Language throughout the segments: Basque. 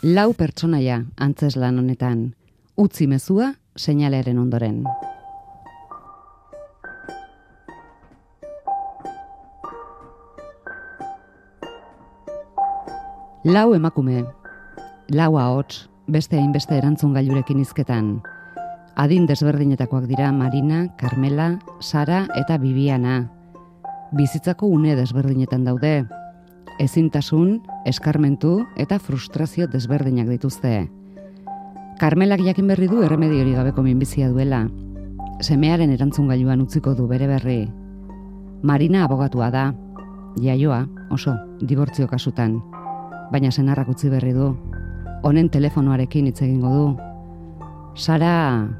Lau pertsonaia antzeslan honetan, utzi mezua seinalearen ondoren. Lau emakume, lau ahots, beste hainbeste erantzun gailurekin hizketan. Adin desberdinetakoak dira Marina, Carmela, Sara eta Bibiana. Bizitzako une desberdinetan daude. Ezintasun, eskarmentu eta frustrazio desberdinak dituzte. Carmelak jakin berri du erremediorik gabeko minbizia duela. Semearen erantzungailuan utziko du bere berri. Marina abogatua da. Jaioa, oso, dibortzio kasutan. Baina senarrak utzi berri du. Honen telefonoarekin hitz egingo du. Sara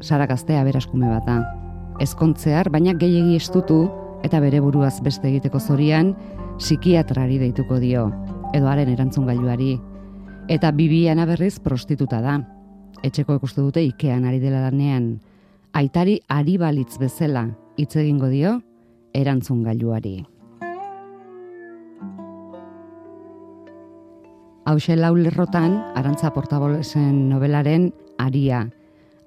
gaztea beraskume bat da. Ezkontzear, baina gehiegi estutu eta bere buruaz beste egiteko zorian, psikiatrari deituko dio, edo haren erantzungailuari. Eta Bibiana berriz prostituta da. Etxeko ikustu dute Ikean ari dela lanean. Aitari ari balitz bezala hitz egingo dio erantzungailuari. Hauxe lau lerrotan, Arantza Portabolesen nobelaren Aria.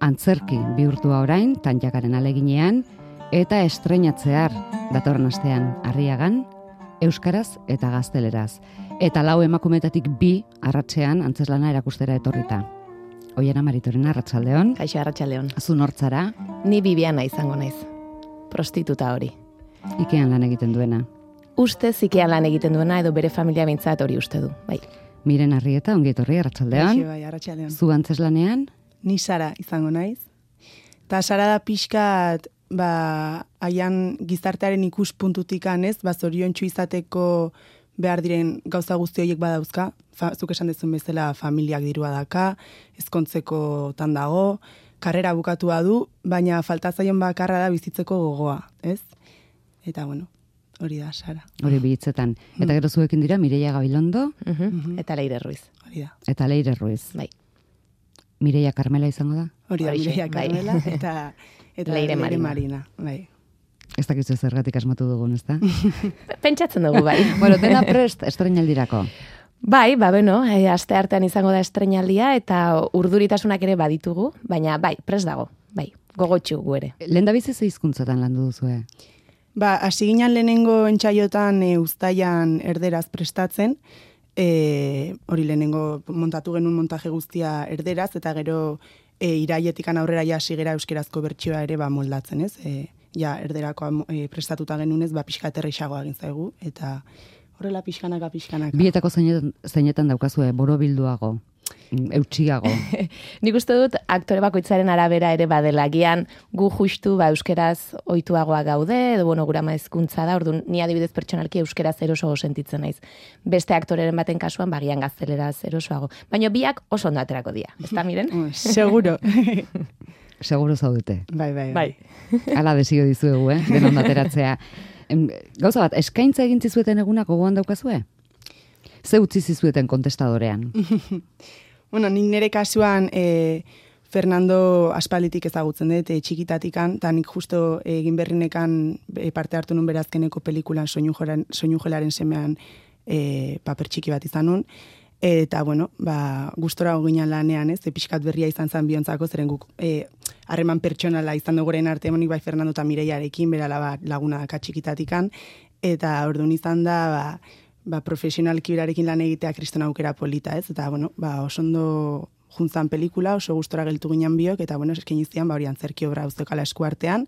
Antzerki bihurtua orain, Tantxakaren aleginean, eta estreinatzear datorren astean Arriagan, euskaraz eta gazteleraz. Eta lau emakumetatik 2 arratsean antzeslana erakustera etorrita. Oiana Maritorena, arratsaldeon. Kaixo, arratsaldeon. Zu nortzara? Ni Bibiana izango naiz. Prostituta hori. Ikean lan egiten duena. Ustez Ikean lan egiten duena edo bere familia behintzat hori uste du, bai. Miren Arrieta, ongi etorri, arratsaldeon. Kaixo, bai, arratsaldeon. Zu antzeslanean? Ni Sara izango naiz. Ta Sara da pixkat, haian gizartearen ikuspuntutik anez, zoriontsu izateko behar diren gauza guzti horiek badauzka, zuk esan dezun bezala familiak dirua daka, ezkontzekotan dago, karrera bukatua du, baina falta zaion bakarra da bizitzeko gogoa, ez? Eta bueno, hori da, Sara. Hori bihitzetan. Eta gero zuekin dira Mireia Gabilondo. Eta Leire Ruiz. Hori da. Eta Leire Ruiz. Bai. Mireia Carmela izango da? Hori da, Horixe, Mireia bai. Carmela eta Leire Marina. Bai. Ez dakizu zergatik asmatu dugun, ezta? Pentsatzen dugu, bai. Bueno, dena prest estreinaldirako. Bai, aste artean izango da estreinaldia eta urduritasunak ere baditugu, baina bai, prest dago, bai, gogotsu gu ere. Lehendabizi ze hizkuntzatan landu duzue? Hasi ginen lehenengo entsaiotan uztailan erderaz prestatzen, hori lehenengo montatu genuen montaje guztia erderaz, eta gero irailetikan aurrera ja sigera euskerazko bertsioa ere moldatzen, ez? Ja erderakoa prestatuta genunez, pixka aterrixagoa egin zaigu, eta horrela pixkanaka. Bietako zeinetan daukazue, borobilduago, eutxiago. Nik uste dut aktore bakoitzaren arabera ere badela, gian gu justu euskeraz ohituagoa gaude, edo gura hizkuntza da, orduan ni adibidez pertsonalki euskeraz erosoago sentitzen naiz. Beste aktoreren baten kasuan gian gazteleraz erosoago. Baina biak oso ondo aterako dira, ezta Miren? Seguro. Seguro zaudete. Bai. Hala desio dizuegu, denon ateratzea. Gauza bat, eskaintza egin zizueten egunak gogoan daukazue? Ze utzi zizueten kontestadorean? Bueno, nik nire kasuan Fernando aspalditik ezagutzen dut, txikitatikan, eta nik justo egin berrinekan parte hartu nun berazkeneko pelikulan soinu-jelaren semean paper txiki bat izan nun. Eta, bueno, gustora ginen lanean, ez, pixkat berria izan zen biontzako, zeren guk harreman pertsonala izan duguren arte, nik bai Fernando eta Mireiarekin, berala laguna daka txikitatikan, eta orduan izan da, profesionalki berarekin lan egitea kriston aukera polita, ez, eta, bueno, oso ondo juntzan pelikula, oso gustora geltu ginen biok, eta, bueno, esken iztian, hori antzerki obra uztekala eskuartean,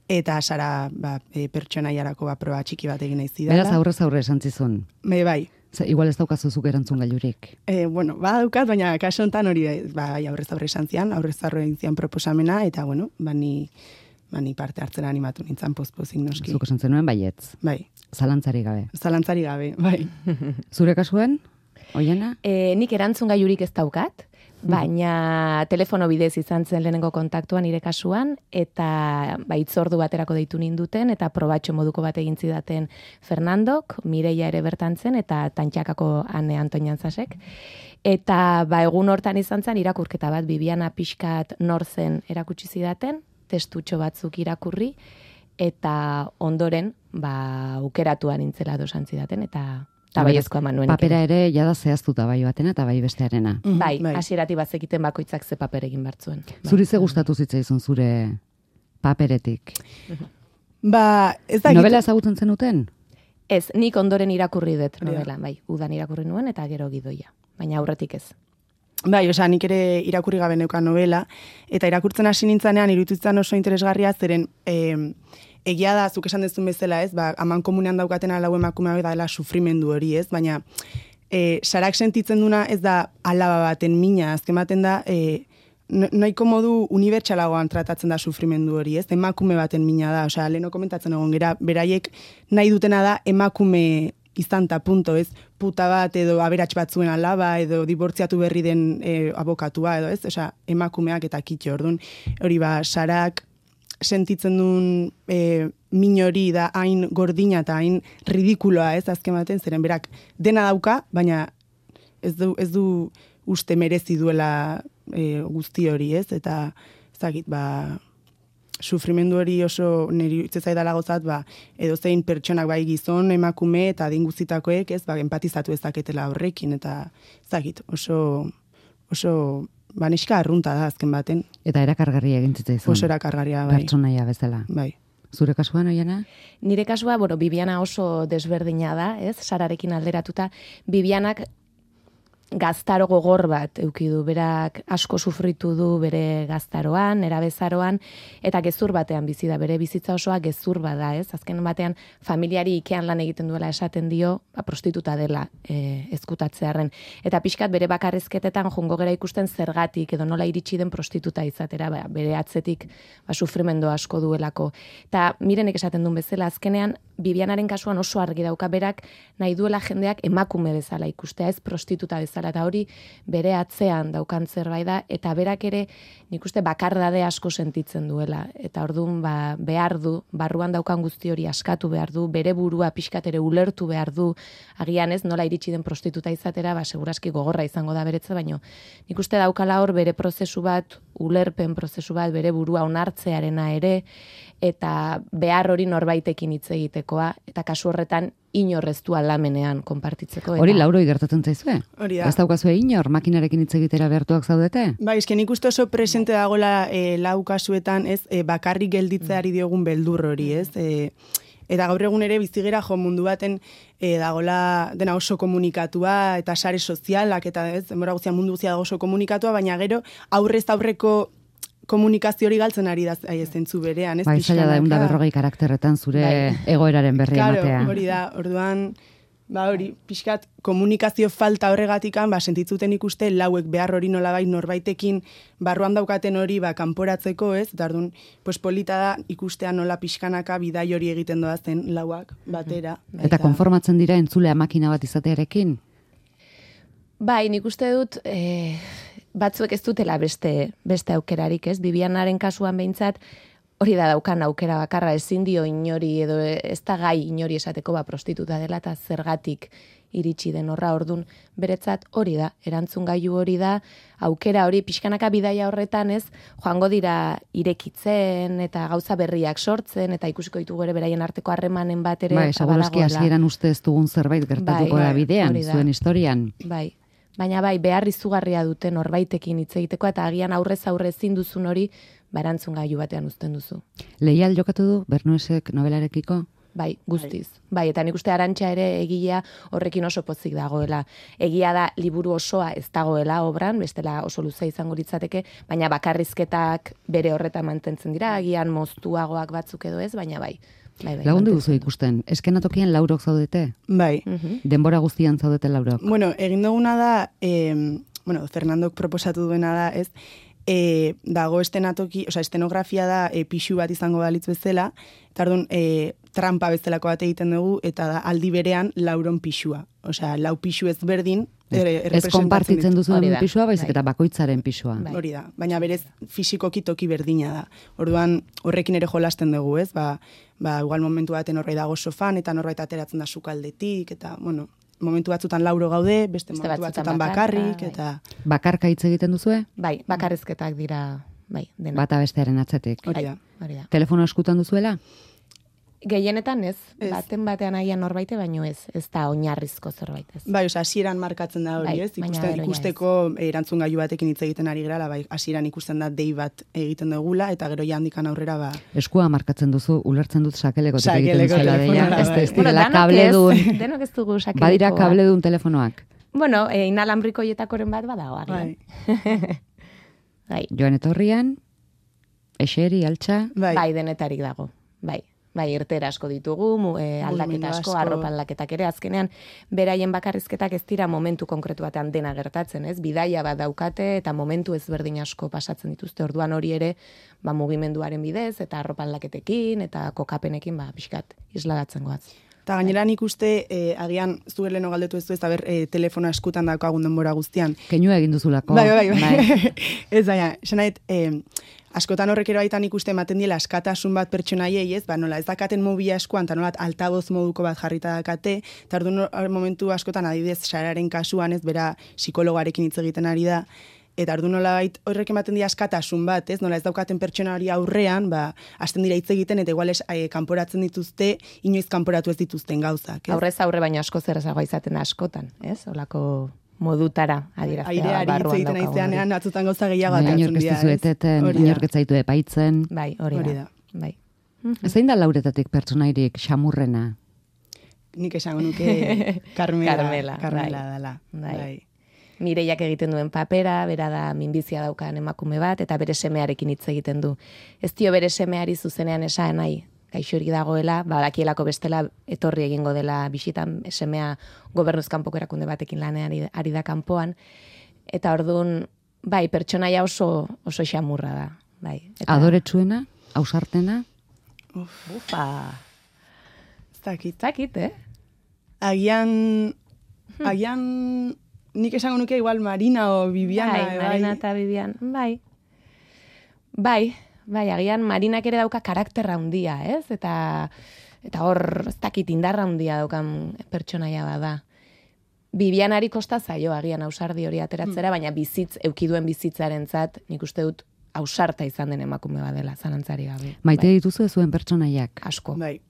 eta Sara pertsonaiarako proba txiki bat egin nahi zidala. Beraz aurrez esan zizun. Bai. Igual ez daukazu zuk erantzun gailurik. Bueno, daukat, baina kaso honetan hori aurrez aurre esan zian, aurrez aurre egin zian proposamena, eta bueno, ni parte hartzera animatu nintzen pozpozik noski. Zuk esan zenuen baietz. Bai. Zalantzari gabe. Zalantzari gabe, bai. Zure kasuen, Oiana? Nik erantzun gailurik ez daukat, baina telefono bidez izan zen lehenengo kontaktuan nire kasuan, eta hitzordu baterako deitu ninduten, eta probatxo moduko bat egin zidaten Fernandok, Mireia ere bertan zen, eta Tantxakako Ane Anton Jantzasek. Eta egun hortan izan zen irakurketa bat, Bibiana pixkat nor zen erakutsi zidaten, testutxo batzuk irakurri, eta ondoren aukeratuan nintzela dosan zidaten, eta Eta baiezkoa eman nuen. Papera ere jada zehaztuta bai batena eta bai bestearena. Bai, hasieratik bazekiten bakoitzak ze paper egin bartzuen. Zuri ze gustatu zitzaizun zure paperetik? Ez da... Novela ezagutzen zenuten? Ez, nik ondoren irakurri dut novela, bai, udan irakurri nuen eta gero gidoia, baina aurretik ez. Bai, nik ere irakurri gabe neukan novela, eta irakurtzen hasi nintzanean iruditzen oso interesgarria, zeren egia da, zuk esan dezun bezala, ez, aman komunean daukatena lau emakumea da dela sufrimendu hori, ez, baina Sarak sentitzen duna ez da alaba baten mina, azken baten da, nahiko modu unibertsalagoan tratatzen da sufrimendu hori, ez, emakume baten mina da, osea, leheno komentatzen egon gera, beraiek nahi dutena da emakume izan ta punto, ez, puta bat edo aberats batzuen alaba edo dibortziatu berri den abokatua edo, ez, osea, emakumeak eta kitxo, orduan, hori Sarak sentitzen duen min hori da hain gordina eta hain ridikuloa, ez, azken baten, zeren berak dena dauka, baina ez du uste merezi duela guzti hori, ez, eta ezagit, sufrimendu hori oso niri itzezai dala gozat, edo zein pertsonak bai gizon, emakume eta adin guztitakoek, ez, empatizatu ezaketela horrekin, eta ezagit, oso neska arrunta da azken baten. Eta erakargarria egin zitzaizun. Oso erakargarria, bai. Pertsonaia bezala. Bai. Zure kasuan, Oiana? Nire kasua, Bibiana oso desberdina da, ez? Sararekin alderatuta. Bibianak gaztaro gogor bat eukidu, berak asko sufritu du bere gaztaroan, erabezaroan, eta gezur batean bizi da, bere bizitza osoa gezur bada, ez? Azken batean familiari ikean lan egiten duela esaten dio, prostituta dela ezkutatzearren. Eta pixkat bere bakarrizketetan jongo gera ikusten zergatik edo nola iritsi den prostituta izatera, bere atzetik sufrimendu asko duelako. Eta mirenek esaten duen bezala, azkenean Bibianaren kasuan oso argi dauka, berak nahi duela jendeak emakume bezala ikustea, ez prostituta bezala, eta hori bere atzean daukan zerbait da, eta berak ere nik uste bakardade asko sentitzen duela, eta orduan behar du, barruan daukan guzti hori askatu behar du, bere burua pixkat ere ulertu behar du, agian ez nola iritsi den prostituta izatera, seguraski gogorra izango da beretza, baino nik uste daukala hor bere prozesu bat, ulerpen prozesu bat, bere burua onartzearena ere, eta behar hori norbaitekin hitz egitekoa, eta kasu horretan inorreztu alamenean konpartitzeko. Hori lauroi gertatzen zaizue? Hori da. Ez daukazue inor, makinarekin hitz egitera behartuak zaudete? Bai, esken ikuste oso presente dagoela lau kasuetan, ez, bakarrik gelditzeari diogun beldur hori, ez, eta gaur egun ere bizigera mundu baten dagola dena oso komunikatua eta sare sozialak eta ez, denbora guztian mundu guztia dago oso komunikatua, baina gero aurrez aurreko komunikazio hori galtzen ari da zentzu berean, ez? Bai, zaila da 140 karakterretan zure egoeraren berri ematea. Claro, hori da, orduan, hori, pixkat, komunikazio falta horregatikan, sentitzuten ikuste lauek behar hori nolabait norbaitekin barruan daukaten hori kanporatzeko, ez? Eta orduan, polita da ikustea nola pixkanaka bidai hori egiten doazen lauak batera. Eta konformatzen dira entzulea makina bat izatearekin? Bai, nik uste dut batzuek ez dutela beste aukerarik, ez? Bibianaren kasuan behintzat, hori da daukan aukera bakarra, ezin dio inori edo ez da gai inori esateko prostituta dela eta zergatik iritsi den horra, ordun beretzat hori da, erantzungailu hori da, aukera hori pixkanaka bidaia horretan, ez, joango dira irekitzen eta gauza berriak sortzen eta ikusiko ditugu ere beraien arteko harremanen bat ere. Bai, segurazki hasieran uste ez dugun zerbait gertatuko da bidean, zuen historian. Bai. Baina behar izugarria dute norbaitekin hitz egiteko eta agian aurrez aurre ezin duzun hori erantzungailu batean uzten duzu. Leial jokatu du Bernuesek nobelarekiko? Bai, guztiz. Bai, eta nik uste Arantxa ere egilea horrekin oso pozik dagoela. Egia da liburu osoa ez dagoela obran, bestela oso luze izango litzateke, baina bakarrizketak bere horretan mantentzen dira, agian moztuagoak batzuk edo ez, baina bai. Lagundu duzu ikusten, eskenatokian laurok zaudete? Bai. Denbora guztian zaudete laurok? Bueno, egin duguna da, Fernandok proposatu duena da, ez, dago estenografia da pixu bat izango balitz bezala, eta orduan trampa bezalako bat egiten dugu, eta da aldi berean lauron pixua. Osea, lau pixu ezberdin, ez konpartitzen duzuen pisua, baizik eta bakoitzaren pisua. Hori da, baina berez fisikoki toki berdina da. Orduan horrekin ere jolasten dugu, ez? Igual momentu baten horrei dago sofan, eta norbait ateratzen da sukaldetik, eta, bueno, momentu batzutan lauro gaude, beste momentu batzutan bakarrik, eta... Bakarka hitz egiten duzue? Bai, bakarrizketak dira, bai, dena. Bata bestearen atzetik. Hori da. Telefono eskutan duzuela? Gehienetan ez, baten batean agian norbaite, baino ez da oinarrizko zerbait ez. Bai, hasieran markatzen da hori, ez? Ikusteko erantzun gailu batekin hitz egiten ari gerala, bai, hasieran ikusten da dei bat egiten dugula, eta gero ja handikan aurrera, ba... Eskua markatzen duzu, ulertzen dut sakelekotik egiten zela deia. Ez direla kabledun. Denok ez dugu sakelekoa. Badira kabledun telefonoak. Bueno, inalambrikoietakoren bat badago, agian. Bai. Joan etorrian, eseri, altxa... Bai, denetarik dago, bai. Bai, irtera asko ditugu, aldaketa asko, arropa aldaketak ere, azkenean, beraien bakarrizketak ez dira momentu konkretu batean dena gertatzen, ez? Bidaia bat daukate eta momentu ezberdin asko pasatzen dituzte, orduan hori ere, mugimenduaren bidez, eta arropa aldaketekin, eta kokapenekin, pixkat, isladatzen goaz. Eta gainera nik uste, agian zuger leheno galdetu ez du ez, telefona eskutan daukagun denbora guztian. Keinua egin duzulako. Bai. Ez daia, esanait, askotan horrekero baitan ikuste ematen diela askatasun bat pertsonaiei, ez? Nola, ez dakaten mobila eskuan, eta nola altaboz moduko bat jarrita dakate, eta orduan momentu askotan adibidez Sararen kasuan, ez, bera psikologarekin hitz egiten ari da, eta orduan nola bait horrek ematen dira askatasun bat, ez? Nola ez daukaten pertsona hori aurrean, hasten dira hitz egiten, eta igual kanporatzen dituzte, inoiz kanporatu ez dituzten gauzak, ez? Aurrez aurre baina asko zerrezagoa izaten askotan, ez? Olako modutara adieraztea barruan daukagun. Aireari hitzean atzutan gauza gehiago atatzen dira. Inork ez zaitu epaitzen. Bai, hori da. Bai. Zein da Lauretatik pertsonairik xamurrena? Nik esango nuke Carmela dela. Bai. Mireiak egiten duen papera, bera da minbizia daukan emakume bat, eta bere semearekin hitz egiten du. Ez dio bere semeari zuzenean esan nahi, gaixorik dagoela, badakielako bestela etorri egingo dela bisitan, semea gobernuz kanpoko erakunde batekin lanean ari da kanpoan, eta orduan, bai, pertsonaia oso xamurra da. Bai. Adoretsuena, ausartena? Ufa. Zakit, Agian, nik esango nuke igual Marina o Viviana. Bai, Marina eta Vivian, Bai, agian Marinak ere dauka karakterra handia, ez? Eta hor, ez dakit indarra handia daukan pertsonaia bada. Vivianari kosta zaio agian ausardi hori ateratzera, baina eukiduen bizitzarentzat, nik uste dut ausarta izan den emakume badela, zalantzari gabe. Maite dituzu zuen pertsonaiak? Asko. Bai.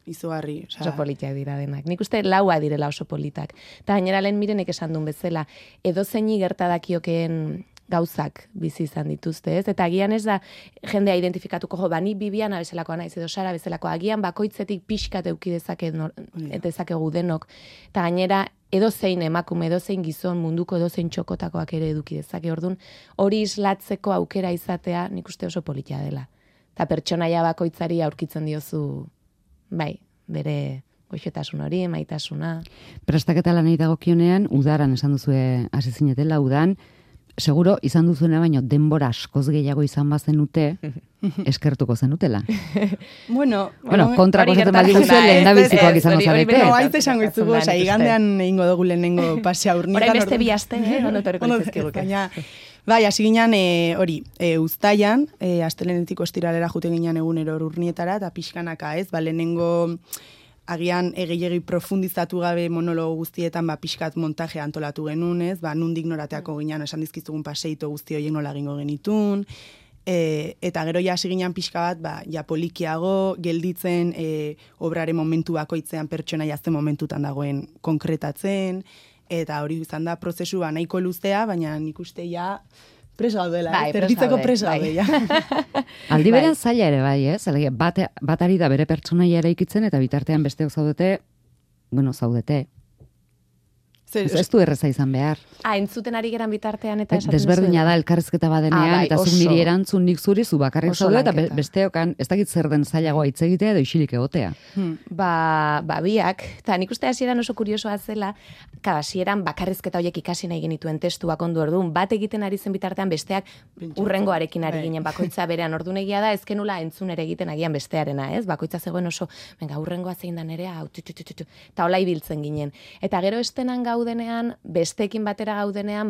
Izugarri. Oso politiak dira denak. Nik uste laua direla oso politak. Eta gainera lehen Mirenek esan duen bezala, edozeini gerta dakiokeen gauzak bizi izan dituzte, ez? Eta agian ez da jendea identifikatuko, ni Bibiana bezalakoa naiz edo Sara bezalako, agian bakoitzetik pixkat eduki dezakegu denok. Eta gainera edozein emakume, edozein gizon, munduko edozein txokotakoak ere eduki dezake. Orduan, hori islatzeko aukera izatea, nik uste oso politia dela. Eta pertsonaia bakoitzari aurkitzen diozu, bai, bere goxotasun hori, maitasuna. Prestaketa lanei dagokionean, udaran esan duzue hasi zinetela, udan, seguro izan duzuena baino denbora askoz gehiago izan bazenute, eskertuko zenutela. Bueno, kontrako zaten badi guzuen lehen da bizikoak izango zarete. Haiz esango izugu, igandean egingo dugu lehenengo pasea urnitan. Horain beste bi aste, ondo torriko izkezkiguke. Bai, hasi ginen uztailan, astelenetik ostiralera jute ginen egunero urnietara, eta pixkanaka ez, lehenengo agian gehiegi profundizatu gabe monologo guztietan pixkat montaje antolatu genuen, ez, nundik norateako ginen, esan dizkizugun paseito guzti horiek nola egingo genitun, eta gero ja hasi ginen pixka bat, ja polikiago, gelditzen, obraren momentu bakoitzean pertsona jazten momentutan dagoen konkretatzen, eta hori izan da prozesu nahiko luzea, baina nik uste ja preso gaudela, zerbitzeko preso gaude. Aldi beren zaila ere bai, ez? Bat ari da bere pertsonaia eraikitzen, eta bitartean besteok zaudete. Ez du erreza izan behar. Entzuten ari geran bitartean eta esaten desberdina da elkarrizketa badenean, eta zuk niri erantzun nik zuri, zu bakarrik zaude, eta besteokan ez dakit zer den zailagoa hitz egitea edo isilik egotea. Biak, eta nik uste hasieran oso kuriosoa zela, hasieran bakarrizketa horiek ikasi nahi genituen testuak ondu orduan, bat egiten ari zen bitartean besteak urrengoarekin ari ginen bakoitza berean orduan egia da, ezkenula entzun ere egiten agian bestearena, ez? Bakoitza zegoen oso, urrengoa zein da nerea, eta hola ibiltzen ginen. Eta gero estenan gaudenean, besteekin batera gaudenean,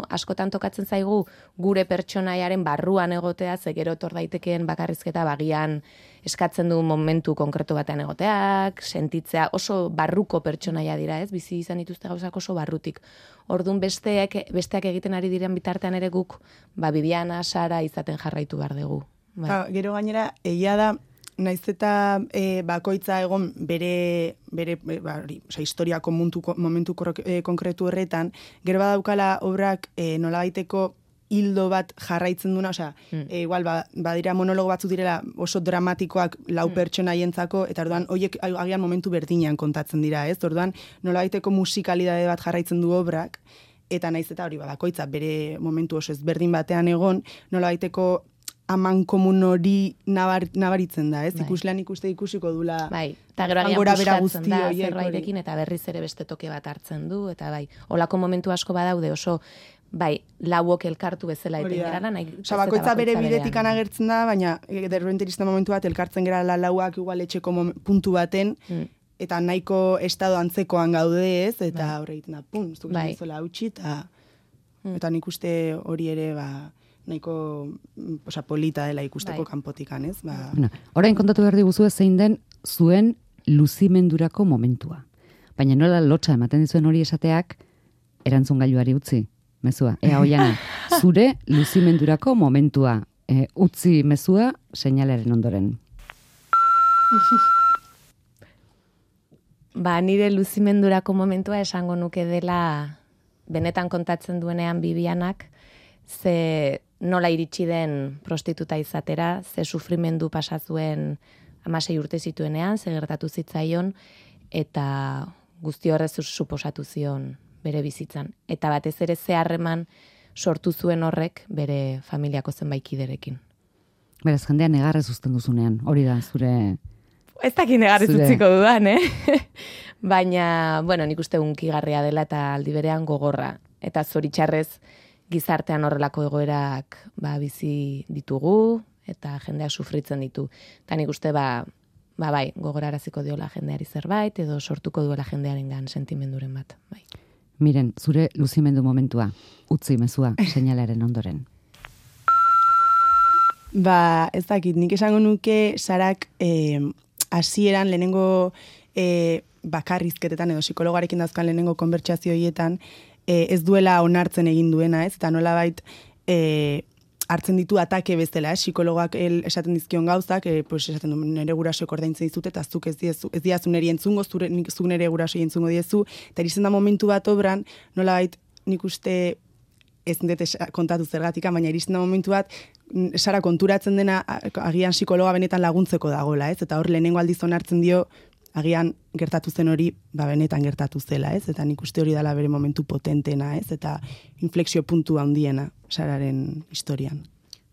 askotan tokatzen zaigu gure pertsonaiaren barruan egotea, ze gero etor daitekeen bakarrizketa bagian eskatzen du momentu konkretu batean egoteak, sentitzea oso barruko pertsonaia dira, ez? Bizi izan dituzte gauzak oso barrutik. Orduan besteak egiten ari diren bitartean ere guk, Bibiana, Sara izaten jarraitu behar dugu. Gero gainera, egia da, naiz eta bakoitza egon bere historiako momentu konkretu horretan, gero badaukala obrak nolabaiteko hildo bat jarraitzen duna, igual badira monologo batzu direla oso dramatikoak lau pertsonaientzako, eta orduan horiek agian momentu berdinean kontatzen dira, ez? Orduan nolabaiteko musikalidade bat jarraitzen du obrak, eta naiz eta hori bakoitza bere momentu oso ezberdin batean egon, nolabaiteko aman komun hori nabaritzen da, ez? Bai. Ikuslean ikusiko dula. Bai, eta gero agian puskatzen da zerbaitekin, eta berriz ere beste toke bat hartzen du, eta bai, olako momentu asko badaude oso, bai, lauok elkartu bezala eten gerala. Bakoitza bere bidetik agertzen da, baina derbente iristen momentu bat elkartzen gerala lauak igual etxeko puntu baten, eta nahiko estado antzekoan gaude, ez? Eta horre egiten da, pum, zuk zola hautsi, eta nik uste hori ere, nahiko polita dela ikusteko kanpotikan, ez? Orain kontatu behar diguzu zein den zuen luzimendurako momentua. Baina nola lotxa ematen dizuen hori esateak erantzungailuari utzi, mezua. Ea Oiana, zure luzimendurako momentua. Utzi mezua seinalaren ondoren. Nire luzimendurako momentua esango nuke dela benetan kontatzen duenean Bibianak, ze nola iritsi den prostituta izatera, ze sufrimendu pasazuen 16 urte zituenean, ze gertatu zitzaion, eta guzti horrez suposatu zion bere bizitzan. Eta batez ere ze harreman sortu zuen horrek bere familiako zenbaikiderekin. Beraz, jendea negarrez uzten duzunean, hori da zure... Ez dakit negarrez utziko dudan, Baina, nik uste unkigarria dela eta aldi berean gogorra. Eta zoritxarrez gizartean horrelako egoerak bizi ditugu, eta jendeak sufritzen ditu. Eta nik uste bai, gogoraraziko diola jendeari zerbait, edo sortuko duela jendearengan sentimenduren bat, bai. Miren, zure luzimendu momentua, utzi mezua seinalaren ondoren. Ez dakit, nik esango nuke Sarak hasieran lehenengo bakarrizketetan edo psikologarekin dauzkan lehenengo konbertsazio horietan ez duela onartzen egin duena, ez? Eta nolabait hartzen ditu atake bezala, psikologak esaten dizkion gauzak, esaten du nire gurasoek ordaintzen dizute, eta zuk ez diazu niri entzungo, zuk nire gurasoi entzungo diezu, eta iristen da momentu bat obran, nolabait nik uste ez dut kontatu zergatika, baina iristen da momentu bat, Sara konturatzen dena agian psikologa benetan laguntzeko dagoela, ez? Eta hor lehenengo aldiz onartzen dio agian gertatu zen hori, benetan gertatu zela, ez? Eta nik uste hori dela bere momentu potentena, ez? Eta inflexio puntu handiena Sararen historian.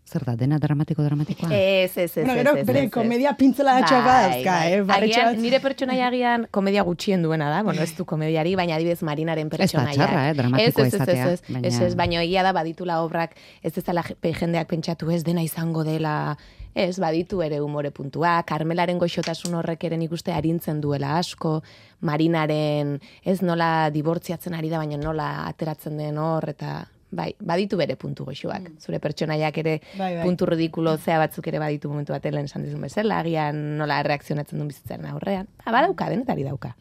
Zer da, dena dramatikoa? Ez. Gero, bere komedia pintzela datxoak dauzka, nire pertsonaia agian komedia gutxien duena da, ez du komediari, baina adibidez Marinaren pertsonaia. Ez da txarra, dramatikoa izatea. Ez, baina egia da baditula obrak, ez ezala jendeak pentsatu ez dena izango dela, ez, baditu ere umore puntua, Karmelaren goxotasun horrek ere nik uste arintzen duela asko, Marinaren ez nola dibortziatzen ari da, baina nola ateratzen den hor, eta... Bai, baditu bere puntu goxoak. Zure pertsonaiak ere puntu ridikulo zea batzuk ere baditu momentu bat lehen esan dizun bezala, agian nola reakzionatzen duen bizitzaren aurrean. Badauka, denetari dauka.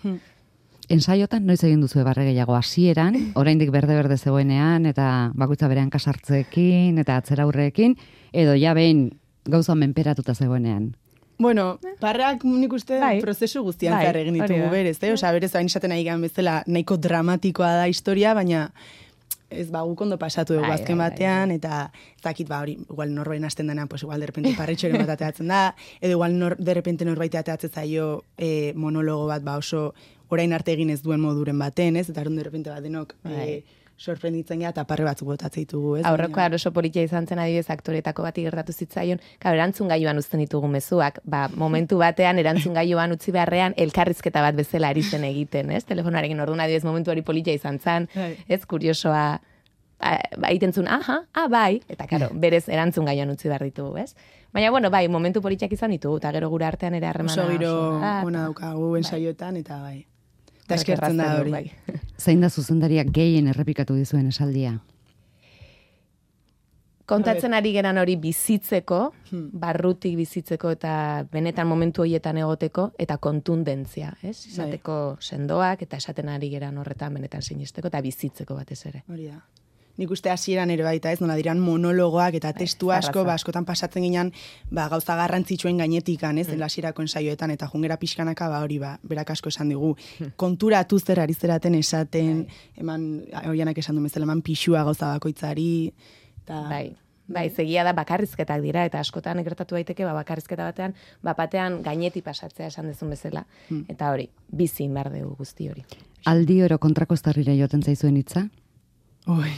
Ensaiotan noiz egin duzu barre gehiago hasieran, oraindik berde zegoenean, eta bakoitza berean kasartzeekin, eta atzera aurreekin, edo ja behin gauza menperatuta zegoenean. Bueno, barreak nik uste prozesu guztian zehar egin ditugu berez, berez hain esaten nahi gan bezala nahiko dramatikoa da historia, baina ez guk ondo pasatu dugu azken batean, eta ez dakit hori, igual norbain hasten denean, pues igual derrepente parretxoren bat ateatzen da, edo igual derrepente norbait ateatzen zaio monologo bat oso orain arte egin ez duen moduren baten, ez? Eta derrepente bat denok sorprenditzen gara eta parre batzuk botatzen ditugu, ez? Aurreko oso politia izan zen adibidez aktoretako bati gertatu zitzaion, erantzun gailuan uzten ditugu mezuak, momentu batean erantzun gailuan utzi beharrean elkarrizketa bat bezala ari zen egiten, ez? Telefonarekin orduan adibidez momentu hori politia izan zen, ez? Kuriosoa egiten zuen, bai, eta berez erantzun gailuan utzi behar ditugu, ez? Baina, bai, momentu politiak izan ditugu, eta gero gure artean ere harremana. Oso giro ona daukagu ensaioetan, eta bai. Eta eskertzen da hori. Zein da zuzendariak gehien errepikatu dizuen esaldia? Kontatzen ari geran hori bizitzeko, barrutik bizitzeko eta benetan momentu horietan egoteko, eta kontundentzia, ez? Izateko sendoak, eta esaten ari geran horretan benetan sinisteko, eta bizitzeko batez ere. Hori da. nik uste hasieran ere baita, ez, nola diran monologoak eta testu asko, askotan pasatzen ginean, gauza garrantzitsuen gainetikan, ez, hasierako ensaioetan, eta jungera pixkanaka, hori, berak asko esan digu, konturatu zer ari zeraten esaten, eman, oianak esan du bezala, eman pixua gauza bakoitzari, eta... Bai, zegia da bakarrizketak dira, eta askotan gertatu daiteke bakarrizketa batean, batean gaineti pasatzea esan dezun bezala, eta hori, bizin behar dugu guzti hori. Aldi oro kontrako estarrira joaten zaizuen hitza? Oi,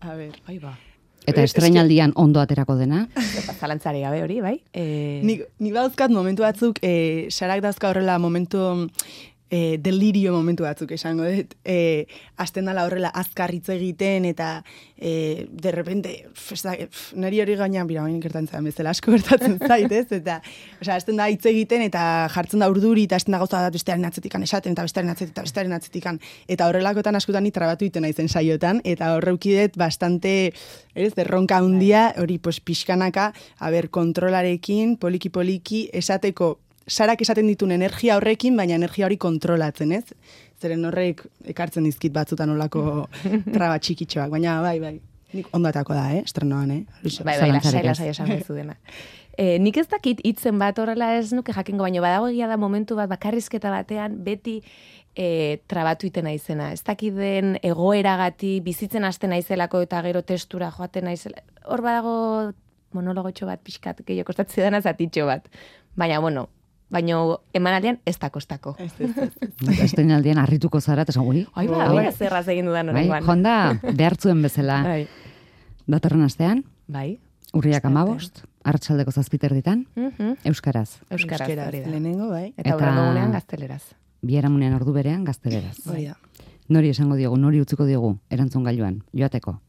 a ber, Eta estreinaldian ondo aterako dena? Zalantzari gabe hori, bai? Ni bauzkat momentu batzuk, sarak dauzka horrela momentu... delirio momentu batzuk esango dut, hasten dala horrela azkar hitz egiten eta de repente neri hori gainean bira bain gertatzen bezala asko gertatzen zait, ez? Eta hasten da hitz egiten eta jartzen da urduri eta hasten da gauza bat bestearen atzetikan esaten eta bestearen atzetikan eta horrelakotan askotan ni trabatu egiten naizen saiotan eta horreukidet bastante erronka handia hori pixkanaka kontrolarekin poliki esateko Sarak esaten ditun energia horrekin, baina energia hori kontrolatzen, ez? Zeren horrek ekartzen dizkit batzutan olako traba txikitxoak, baina bai. Nik ondatako da, estrenoan, Bai, lasai esan bezu dena. Nik ez dakit hitzen bat horrela ez nuke jakingo, baina badago egia da momentu bat bakarrizketa batean beti trabatu iten naizena. Ez dakit den egoeragati bizitzen hasten naizelako eta gero testura joaten naizela. Hor badago monologotxo bat pixkat, gehiago kostatzen dena zatitxo bat. Baina, emanaldian ez da kostako. Estreinaldian harrituko zara, eta ui. Zerraz egin dudan horrengoan. Jonda, behartzuen bezala. Datorren astean, urriak 15, arratsaldeko 7 ditan, euskaraz. Euskaraz, lehenengo, bai. Eta horrengoan gazteleraz. Biharamunean ordu berean gazteleraz. Nori esango diogu, nori utziko diogu, erantzun gailuan, joateko?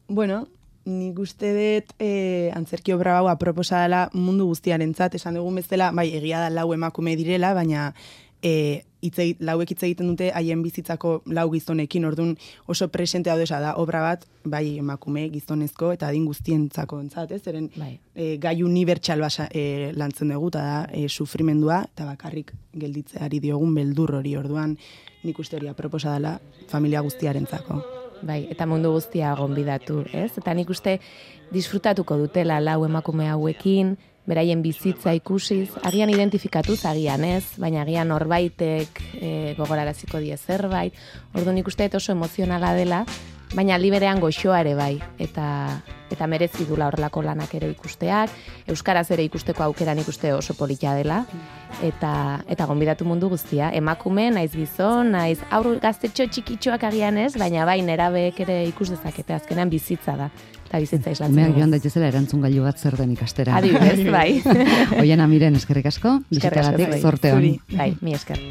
Bueno, nik uste dut antzerki obra hau aproposa dela mundu guztiarentzat, esan dugun bezala, egia da lau emakume direla, baina lauek hitz egiten dute haien bizitzako lau gizonekin, orduan oso presente hau da obra bat, bai emakume gizonezko eta adin guztientzako entzat, zeren gai unibertsal lantzen dugu, eta da sufrimendua, eta bakarrik gelditzeari diogun beldur hori, orduan nik uste hori aproposa dela familia guztiarentzako. Bai, eta mundu guztia gonbidatu, ez? Eta nik uste disfrutatuko dutela lau emakume hauekin, beraien bizitza ikusiz, agian identifikatuz, agian ez, baina agian norbaitek gogoraraziko die zerbait. Orduan nik uste oso emozionala dela, baina aldi berean goxoa ere bai, eta merezi dula horrelako lanak ere ikusteak, euskaraz ere ikusteko aukera nik uste oso polita dela, eta gonbidatu mundu guztia, emakume, naiz gizon, naiz aur gaztetxo txikitxoak agian ez, baina bai nerabeek ere ikus dezakete, azkenean bizitza da, eta bizitza islatzen. Umeak joan daitezela erantzun gailu bat zer den ikastera. Adibidez, bai. Oiana Miren, eskerrik asko, bizitagatik, zorte hon. Bai, mi esker.